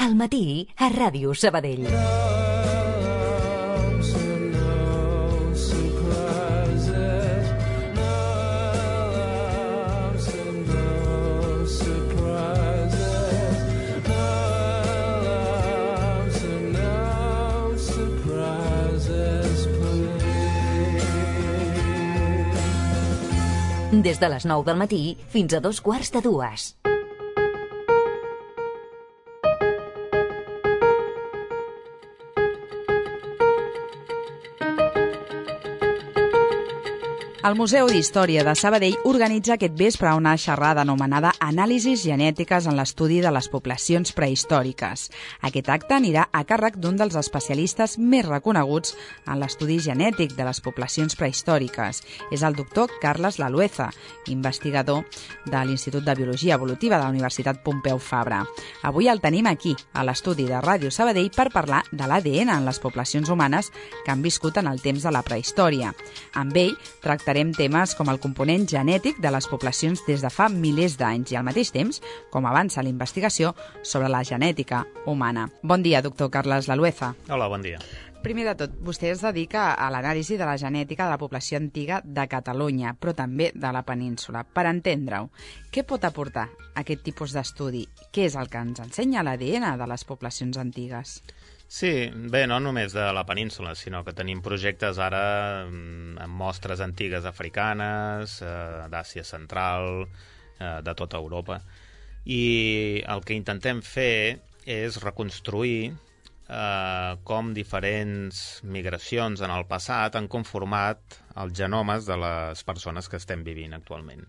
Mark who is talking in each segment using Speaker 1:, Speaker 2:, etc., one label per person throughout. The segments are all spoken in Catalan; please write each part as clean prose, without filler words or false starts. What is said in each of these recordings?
Speaker 1: Al matí, a Ràdio Sabadell. Des de les 9 del matí fins a 2:15.
Speaker 2: El Museu d'Història de Sabadell organitza aquest vespre una xerrada anomenada Anàlisis genètiques en l'estudi de les poblacions prehistòriques. Aquest acte anirà a càrrec d'un dels especialistes més reconeguts en l'estudi genètic de les poblacions prehistòriques. És el doctor Carles Lalueza, investigador de l'Institut de Biologia Evolutiva de la Universitat Pompeu Fabra. Avui el tenim aquí, a l'estudi de Ràdio Sabadell, per parlar de l'ADN en les poblacions humanes que han viscut en el temps de la prehistòria. Amb ell tractarem temes com el component genètic de les poblacions des de fa milers d'anys i al mateix temps com avança la investigació sobre la genètica humana. Bon dia, doctor Carles Lalueza.
Speaker 3: Hola, bon dia.
Speaker 2: Primer de tot, vostè es dedica a l'anàlisi de la genètica de la població antiga de Catalunya, però també de la península. Per entendre-ho, què pot aportar aquest tipus d'estudi? Què és el que ens ensenya l'ADN de les poblacions antigues?
Speaker 3: Sí, bé, no només de la península, sinó que tenim projectes ara amb mostres antigues africanes, d'Àsia Central, de tota Europa. I el que intentem fer és reconstruir com diferents migracions en el passat han conformat els genomes de les persones que estem vivint actualment.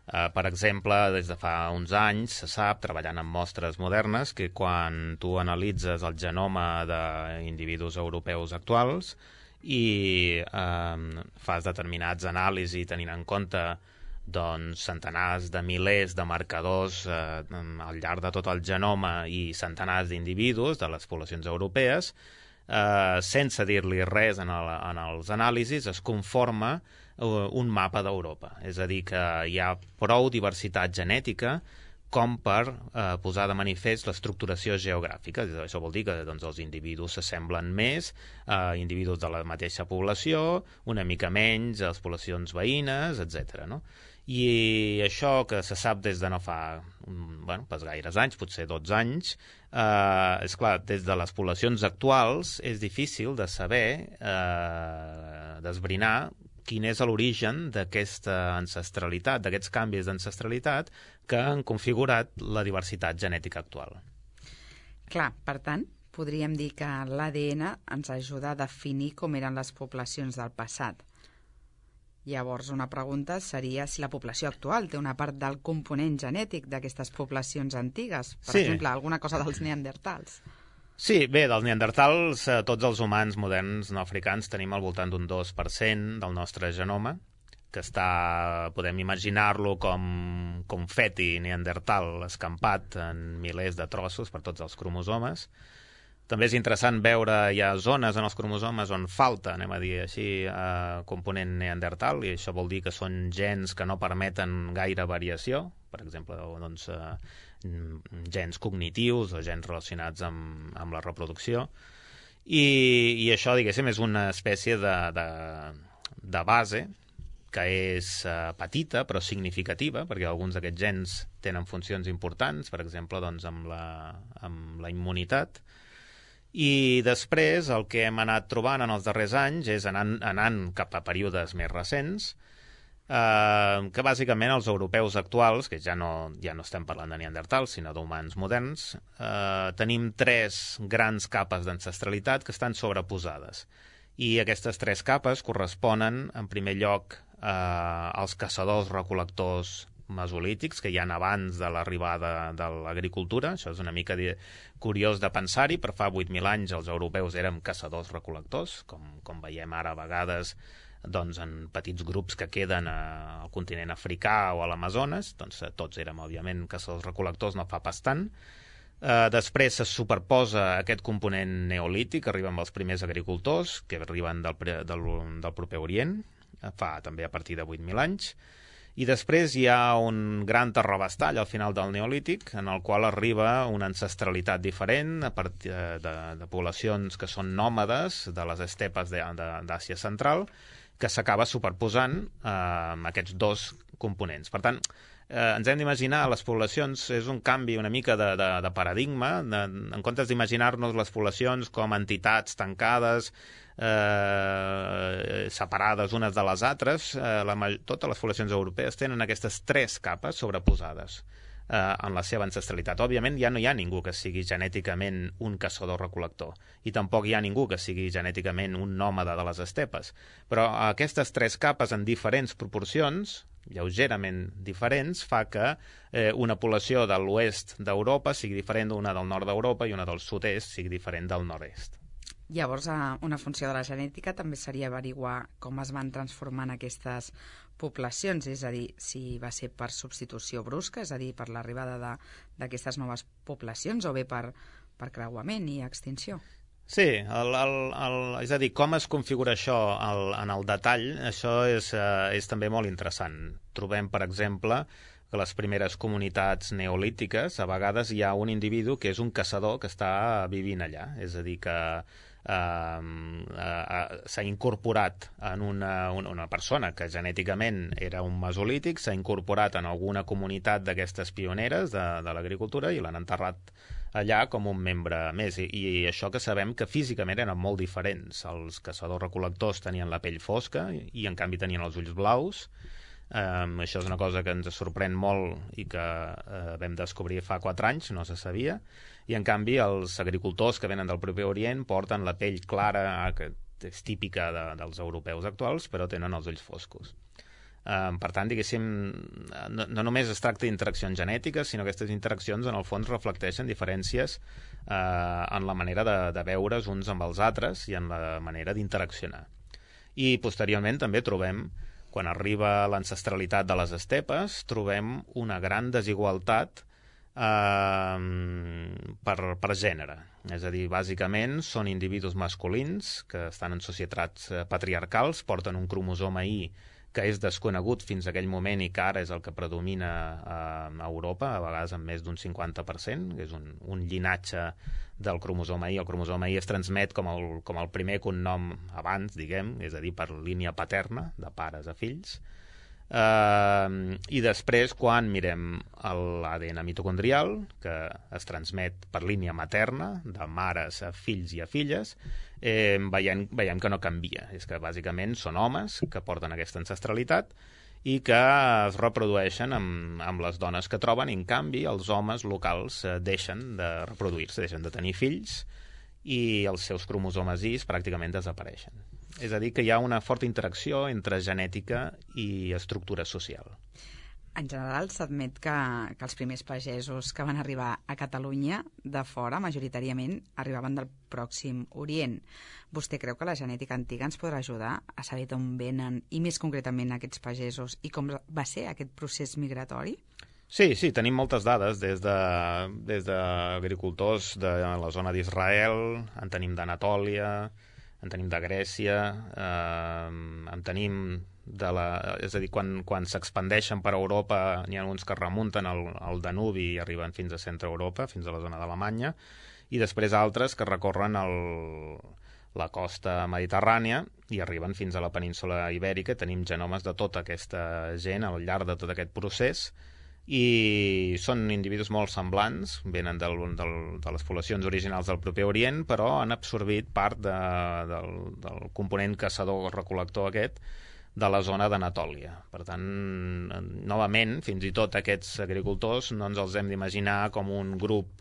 Speaker 3: Per exemple, des de fa uns anys se sap, treballant amb mostres modernes, que quan tu analitzes el genoma d'individus europeus actuals i fas determinats anàlisis tenint en compte centenars de milers de marcadors al llarg de tot el genoma i centenars d'individus de les poblacions europees, sense dir-li res en els anàlisis, es conforma un mapa d'Europa. És a dir, que hi ha prou diversitat genètica com per posar de manifest l'estructuració geogràfica. Això vol dir que els individus s'assemblen més a individus de la mateixa població, una mica menys a les poblacions veïnes, etc. I això que se sap des de no fa pas gaires anys, potser 12 anys, és clar, des de les poblacions actuals és difícil de saber, d'esbrinar quin és l'origen d'aquesta ancestralitat, d'aquests canvis d'ancestralitat que han configurat la diversitat genètica actual.
Speaker 2: Clar, per tant, podríem dir que l'ADN ens ajuda a definir com eren les poblacions del passat. Llavors, una pregunta seria si la població actual té una part del component genètic d'aquestes poblacions antigues. Per exemple, alguna cosa dels neandertals.
Speaker 3: Sí, bé, dels neandertals, tots els humans moderns no africans tenim al voltant d'un 2% del nostre genoma, que podem imaginar-lo com confeti neandertal escampat en milers de trossos per tots els cromosomes. També és interessant veure, hi ha zones en els cromosomes on falta, anem a dir així, component neandertal, i això vol dir que són gens que no permeten gaire variació, per exemple, gens cognitius o gens relacionats amb la reproducció. I això, diguéssim, és una espècie de base que és petita però significativa, perquè alguns d'aquests gens tenen funcions importants, per exemple, amb la immunitat. I després el que hem anat trobant en els darrers anys és anant cap a períodes més recents, que bàsicament els europeus actuals, que ja no estem parlant de neandertals, sinó d'humans moderns, tenim 3 grans capes d'ancestralitat que estan sobreposades. I aquestes 3 capes corresponen, en primer lloc, als caçadors-recol·lectors mesolítics, que hi ha abans de l'arribada de l'agricultura. Això és una mica curiós de pensar-hi, però fa 8.000 anys els europeus érem caçadors-recol·lectors, com veiem ara a vegades en petits grups que queden al continent africà o a l'Amazones. Tots érem, òbviament, caçadors-recol·lectors no fa pas tant. Després se superposa aquest component neolític, arriben els primers agricultors, que arriben del proper Orient, fa també a partir de 8.000 anys, I després hi ha un gran terrabastall al final del Neolític, en el qual arriba una ancestralitat diferent a partir de poblacions que són nòmades de les estepes d'Àsia Central, que s'acaba superposant amb aquests dos components. Per tant, ens hem d'imaginar les poblacions, és un canvi una mica de paradigma, en comptes d'imaginar-nos les poblacions com entitats tancades, separades unes de les altres, totes les poblacions europees tenen aquestes tres capes sobreposades en la seva ancestralitat. Òbviament ja no hi ha ningú que sigui genèticament un caçador-recol·lector i tampoc hi ha ningú que sigui genèticament un nòmada de les estepes, però aquestes tres capes en diferents proporcions, lleugerament diferents, fa que una població de l'oest d'Europa sigui diferent d'una del nord d'Europa i una del sud-est sigui diferent del nord-est.
Speaker 2: Llavors, una funció de la genètica també seria averiguar com es van transformant aquestes poblacions, és a dir, si va ser per substitució brusca, és a dir, per l'arribada d'aquestes noves poblacions, o bé per creuament i extinció.
Speaker 3: Sí, és a dir, com es configura això en el detall, això és també molt interessant. Trobem, per exemple, que les primeres comunitats neolítiques, a vegades hi ha un individu que és un caçador que està vivint allà, és a dir, que s'ha incorporat en una persona que genèticament era un mesolític, s'ha incorporat en alguna comunitat d'aquestes pioneres de l'agricultura i l'han enterrat allà com un membre més. I això que sabem que físicament eren molt diferents. Els caçadors-recol·lectors tenien la pell fosca i en canvi tenien els ulls blaus. Això és una cosa que ens sorprèn molt i que vam descobrir fa 4 anys, no se sabia, i en canvi els agricultors que venen del proper Orient porten la pell clara, que és típica dels europeus actuals, però tenen els ulls foscos. Per tant, diguéssim, no només es tracta d'interaccions genètiques, sinó que aquestes interaccions en el fons reflecteixen diferències en la manera de veure's uns amb els altres i en la manera d'interaccionar. I posteriorment també trobem, quan arriba l'ancestralitat de les estepes, trobem una gran desigualtat per gènere. És a dir, bàsicament són individus masculins que estan en societats patriarcals, porten un cromosoma Y que és desconegut fins a aquell moment i que ara és el que predomina a Europa, a vegades amb més d'un 50%, que és un llinatge del cromosoma Y. El cromosoma Y es transmet com el primer cognom abans, diguem, és a dir, per línia paterna, de pares a fills. I després, quan mirem l'ADN mitocondrial, que es transmet per línia materna, de mares a fills i a filles, veiem que no canvia. És que bàsicament són homes que porten aquesta ancestralitat i que es reprodueixen amb les dones que troben, i en canvi els homes locals deixen de reproduir-se, deixen de tenir fills i els seus cromosomes Y pràcticament desapareixen. És a dir, que hi ha una forta interacció entre genètica i estructura social.
Speaker 2: En general, s'admet que els primers pagesos que van arribar a Catalunya de fora, majoritàriament, arribaven del Pròxim Orient. Vostè creu que la genètica antiga ens podrà ajudar a saber d'on venen, i més concretament aquests pagesos, i com va ser aquest procés migratori?
Speaker 3: Sí, tenim moltes dades, des d'agricultors de la zona d'Israel, en tenim d'Anatòlia, en tenim de Grècia, en tenim és a dir, quan s'expandeixen per Europa, n'hi ha uns que remunten al Danubi i arriben fins a centre Europa, fins a la zona d'Alemanya, i després altres que recorren la costa mediterrània i arriben fins a la península ibèrica. Tenim genomes de tota aquesta gent al llarg de tot aquest procés, i són individus molt semblants, venen de les poblacions originals del proper Orient, però han absorbit part del component caçador-recol·lector aquest de la zona d'Anatòlia. Per tant, novament, fins i tot aquests agricultors no ens els hem d'imaginar com un grup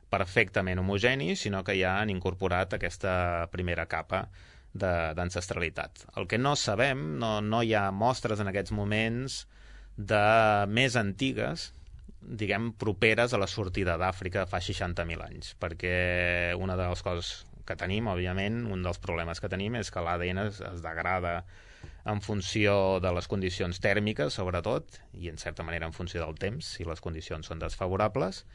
Speaker 3: perfectament homogeni, sinó que ja han incorporat aquesta primera capa d'ancestralitat. El que no sabem, no hi ha mostres en aquests moments de més antigues, diguem, properes a la sortida d'Àfrica fa 60.000 anys, perquè una de les coses que tenim, òbviament, un dels problemes que tenim és que l'ADN es degrada en funció de les condicions tèrmiques, sobretot, i en certa manera en funció del temps, si les condicions són desfavorables,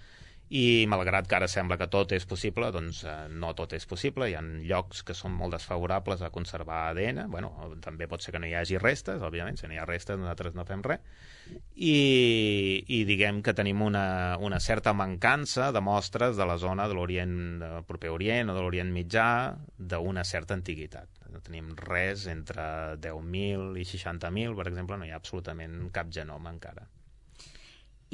Speaker 3: I malgrat que ara sembla que tot és possible, doncs no tot és possible. Hi ha llocs que són molt desfavorables a conservar ADN. Bueno, també pot ser que no hi hagi restes, òbviament, si no hi ha restes nosaltres no fem res. I diguem que tenim una certa mancança de mostres de la zona de l'Orient, del proper Orient o de l'Orient Mitjà d'una certa antiguitat. No tenim res entre 10.000 i 60.000, per exemple, no hi ha absolutament cap genoma encara.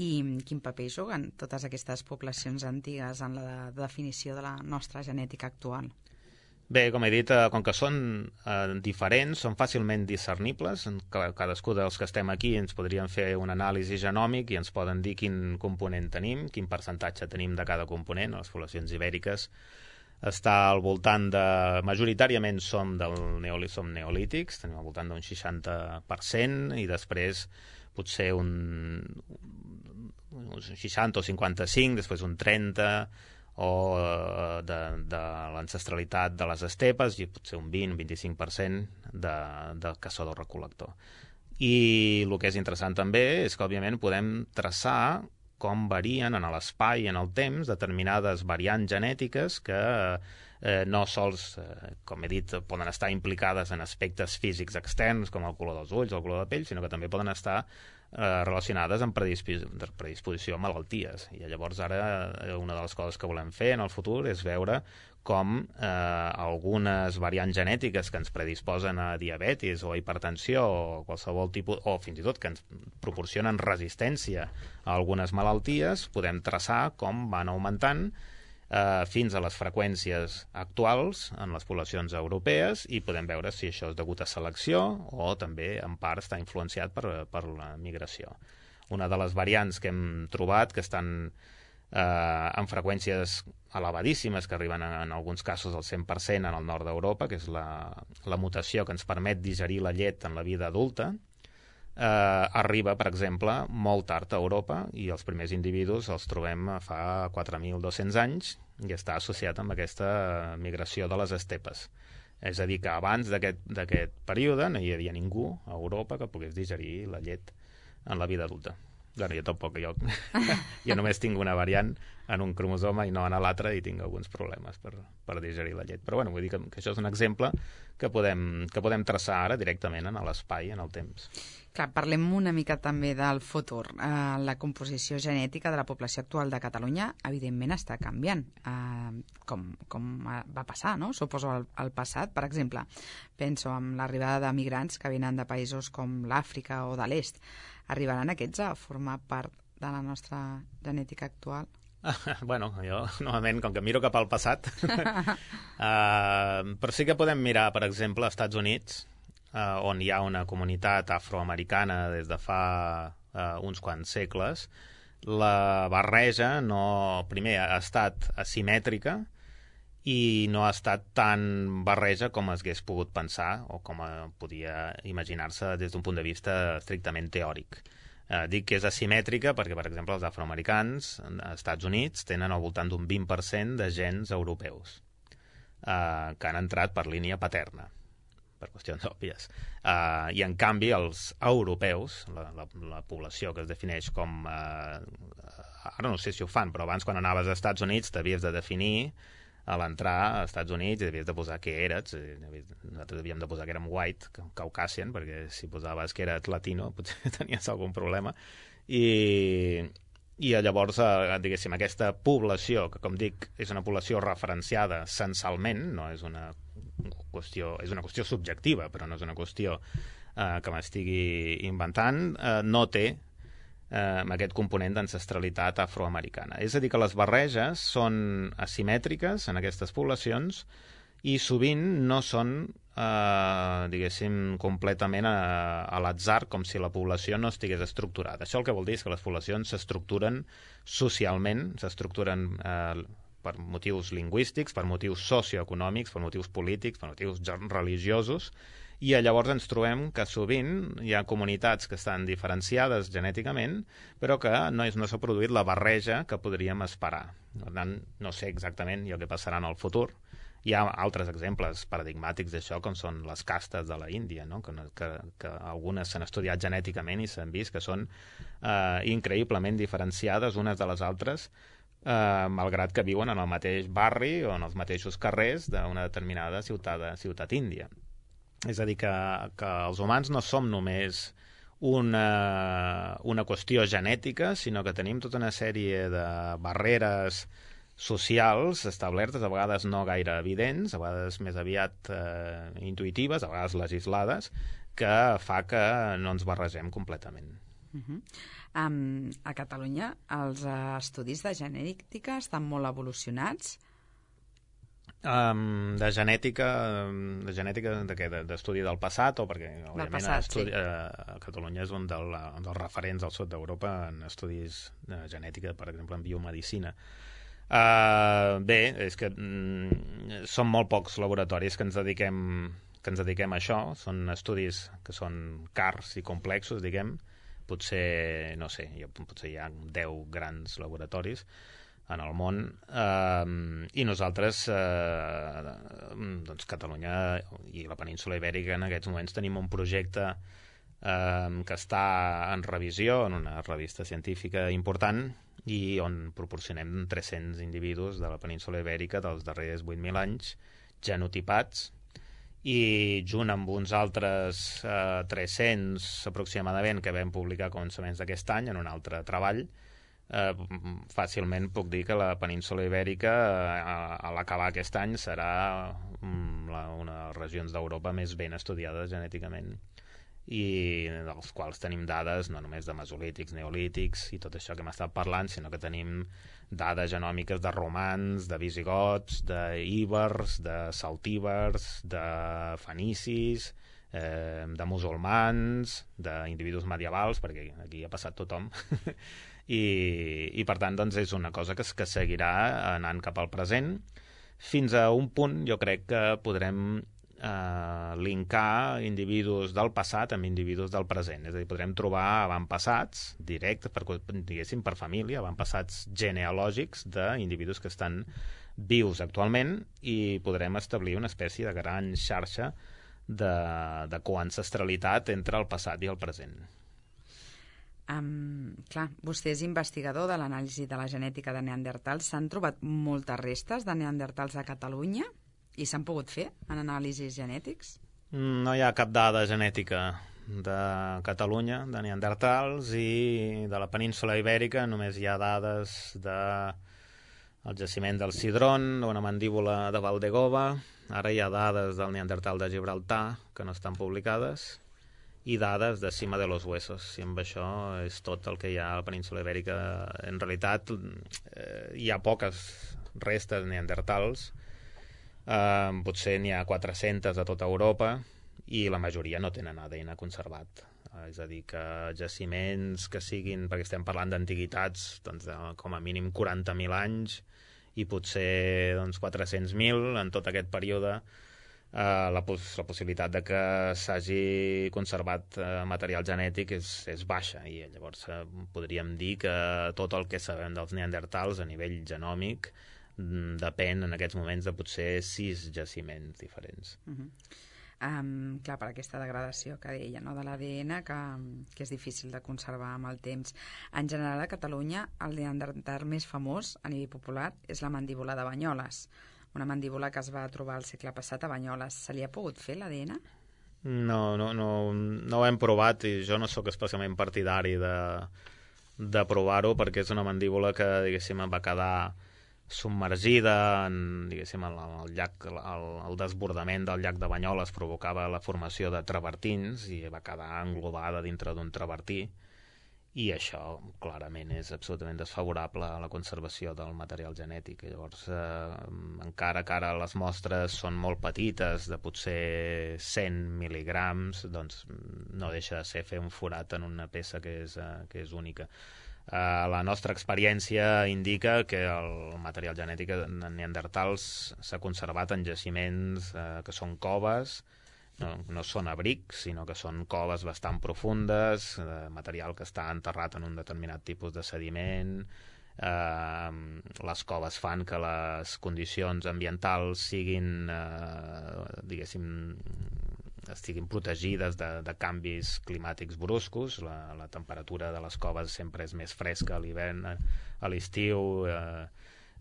Speaker 2: I quin paper juguen totes aquestes poblacions antigues en la definició de la nostra genètica actual?
Speaker 3: Bé, com he dit, com que són diferents, són fàcilment discernibles. Cadascú dels que estem aquí ens podrien fer un anàlisi genòmic i ens poden dir quin component tenim, quin percentatge tenim de cada component. Les poblacions ibèriques està al voltant de... Majoritàriament som neolítics, tenim al voltant d'un 60%, i després potser un 60 o 55, després un 30, o de l'ancestralitat de les estepes, i potser un 20-25% de caçador-recol·lector. I el que és interessant també és que, òbviament, podem traçar com varien en l'espai i en el temps determinades variants genètiques que no sols, com he dit, poden estar implicades en aspectes físics externs, com el color dels ulls o el color de pell, sinó que també poden estar relacionades amb predisposició a malalties. I llavors ara una de les coses que volem fer en el futur és veure com algunes variants genètiques que ens predisposen a diabetis o a hipertensió o qualsevol tipus, o fins i tot que ens proporcionen resistència a algunes malalties, podem traçar com van augmentant fins a les freqüències actuals en les poblacions europees, i podem veure si això és degut a selecció o també en part està influenciat per la migració. Una de les variants que hem trobat que estan amb freqüències elevadíssimes, que arriben en alguns casos al 100% en el nord d'Europa, que és la mutació que ens permet digerir la llet en la vida adulta, arriba, per exemple, molt tard a Europa, i els primers individus els trobem fa 4.200 anys, i està associat amb aquesta migració de les estepes. És a dir, que abans d'aquest període no hi havia ningú a Europa que pogués digerir la llet en la vida adulta. Bueno, jo tampoc, jo només tinc una variant en un cromosoma i no en l'altre, i tinc alguns problemes per digerir la llet. Però bueno, vull dir que això és un exemple que podem traçar ara directament en l'espai, en el temps.
Speaker 2: Clar, parlem una mica també del futur. La composició genètica de la població actual de Catalunya evidentment està canviant, com va passar, no? Suposo al passat. Per exemple, penso en l'arribada de migrants que venen de països com l'Àfrica o de l'Est. Arribaran aquests a formar part de la nostra genètica actual?
Speaker 3: Bueno, jo normalment, com que miro cap al passat, però sí que podem mirar, per exemple, als Estats Units, on hi ha una comunitat afroamericana des de fa uns quants segles. La barreja primer ha estat asimètrica i no ha estat tan barreja com es hagués pogut pensar o com podia imaginar-se des d'un punt de vista estrictament teòric. Dic que és asimètrica perquè, per exemple, els afroamericans als Estats Units tenen al voltant d'un 20% de gens europeus que han entrat per línia paterna, per qüestions òbvies. I, en canvi, els europeus, la població que es defineix com... Ara no sé si ho fan, però abans, quan anaves als Estats Units, t'havies de definir a l'entrar als Estats Units i havies de posar què eres. Nosaltres havíem de posar que érem white, caucasian, perquè si posaves que eres latino potser tenies algun problema. I llavors, diguéssim, aquesta població, que com dic, és una població referenciada censalment, no és una qüestió, és una qüestió subjectiva, però no és una qüestió que m'estigui inventant, no té aquest component d'ancestralitat afroamericana. És a dir, que les barreges són asimètriques en aquestes poblacions i sovint no són, diguéssim, completament a l'atzar, com si la població no estigués estructurada. Això el que vol dir és que les poblacions s'estructuren socialment, s'estructuren per motius lingüístics, per motius socioeconòmics, per motius polítics, per motius religiosos, i llavors ens trobem que sovint hi ha comunitats que estan diferenciades genèticament, però que no s'ha produït la barreja que podríem esperar. Per tant, no sé exactament el que passarà en el futur. Hi ha altres exemples paradigmàtics d'això, com són les castes de la Índia, no? que algunes s'han estudiat genèticament i s'han vist que són increïblement diferenciades unes de les altres, malgrat que viuen en el mateix barri o en els mateixos carrers d'una determinada ciutat índia. És a dir, que els humans no som només una qüestió genètica, sinó que tenim tota una sèrie de barreres socials establertes, a vegades no gaire evidents, a vegades més aviat intuïtives, a vegades legislades, que fa que no ens barregem completament.
Speaker 2: A Catalunya els estudis de genètica estan molt evolucionats?
Speaker 3: De genètica de què? D'estudi del passat o perquè Catalunya és un dels referents al sud d'Europa en estudis de genètica, per exemple en biomedicina. Bé, és que són molt pocs laboratoris que ens dediquem a això. Són estudis que són cars i complexos, diguem. Potser, no sé, potser hi ha 10 grans laboratoris en el món, i nosaltres, doncs Catalunya i la península Ibèrica en aquests moments tenim un projecte que està en revisió en una revista científica important i on proporcionem 300 individus de la península Ibèrica dels darrers 8.000 anys genotipats, i junt amb uns altres 300 aproximadament que vam publicar a començaments d'aquest any en un altre treball, fàcilment puc dir que la península Ibèrica a l'acabar aquest any serà una de les regions d'Europa més ben estudiades genèticament, i dels quals tenim dades no només de mesolítics, neolítics i tot això que hem estat parlant, sinó que tenim dades genòmiques de romans, de visigots, d'íbers, de celtibers, de fenicis, de musulmans, d'individus medievals, perquè aquí ha passat tothom. I per tant doncs, és una cosa que seguirà anant cap al present. Fins a un punt jo crec que podrem linkar individus del passat amb individus del present, és a dir, podrem trobar avantpassats directes, diguéssim, per família, avantpassats genealògics d'individus que estan vius actualment, i podrem establir una espècie de gran xarxa de coancestralitat entre el passat i el present.
Speaker 2: Clar, vostè és investigador de l'anàlisi de la genètica de neandertals. S'han trobat moltes restes de neandertals a Catalunya? I s'han pogut fer en anàlisis genètics?
Speaker 3: No hi ha cap dada genètica de Catalunya, de neandertals, i de la península Ibèrica només hi ha dades del jaciment del Sidrón, d'una mandíbula de Valdegova. Ara hi ha dades del neandertal de Gibraltar que no estan publicades, i dades de Cima de los Huesos, i amb això és tot el que hi ha a la península Ibèrica. En realitat hi ha poques restes neandertals, potser n'hi ha 400 a tota Europa, i la majoria no tenen ADN conservat. És a dir, que jaciments que siguin, perquè estem parlant d'antiguitats, doncs com a mínim 40.000 anys, i potser 400.000 en tot aquest període, la possibilitat de que s'hagi conservat material genètic és baixa, i llavors podríem dir que tot el que sabem dels neandertals a nivell genòmic depèn en aquests moments de potser 6 jaciments diferents.
Speaker 2: Clar, per aquesta degradació que deia, no, de l'ADN, que és difícil de conservar amb el temps. En general, a Catalunya, el neandertal més famós a nivell popular és la mandíbula de Banyoles, una mandíbula que es va trobar al segle passat a Banyoles. Se li ha pogut fer l'ADN?
Speaker 3: No ho hem provat, i jo no sóc especialment partidari de provar-ho, perquè és una mandíbula que, diguéssim, va quedar submergida en, diguéssim, el llac, el desbordament del llac de Banyoles provocava la formació de travertins i va quedar englobada dintre d'un travertí, i això clarament és absolutament desfavorable a la conservació del material genètic. Llavors, encara que ara les mostres són molt petites, de potser 100 mil·ligrams, doncs no deixa de ser fer un forat en una peça que és única. La nostra experiència indica que el material genètic de neandertals s'ha conservat en jaciments que són coves, no són abrics, sinó que són coves bastant profundes, material que està enterrat en un determinat tipus de sediment. Les coves fan que les condicions ambientals siguin, diguéssim, estiguin protegides de canvis climàtics bruscos. La temperatura de les coves sempre és més fresca a l'hivern, a l'estiu,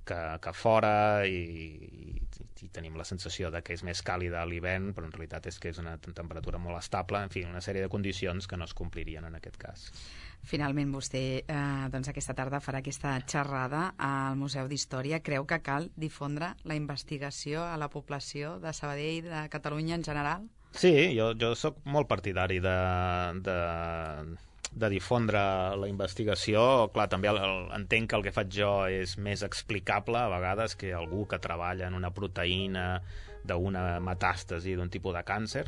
Speaker 3: que fora, i tenim la sensació de que és més càlida a l'hivern, però en realitat és que és una temperatura molt estable. En fi, una sèrie de condicions que no es complirien en aquest cas.
Speaker 2: Finalment, vostè doncs aquesta tarda farà aquesta xerrada al Museu d'Història. Creu que cal difondre la investigació a la població de Sabadell i de Catalunya en general?
Speaker 3: Sí, jo sóc molt partidari de difondre la investigació. Clar, també entenc que el que faig jo és més explicable a vegades que algú que treballa en una proteïna d'una metàstasi d'un tipus de càncer,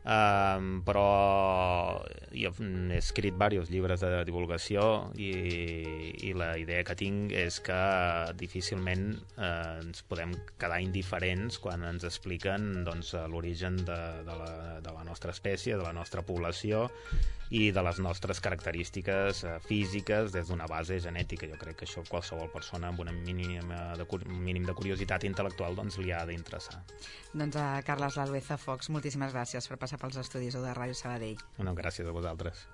Speaker 3: però jo he escrit diversos llibres de divulgació i la idea que tinc és que difícilment ens podem quedar indiferents quan ens expliquen l'origen de la nostra espècie, de la nostra població i de les nostres característiques físiques des d'una base genètica. Jo crec que això qualsevol persona amb un mínim de curiositat intel·lectual li ha d'interessar.
Speaker 2: Doncs a Carles Lalueza Fox, moltíssimes gràcies per passar pels estudis de Ràdio Sabadell.
Speaker 3: No, gràcies a vosaltres.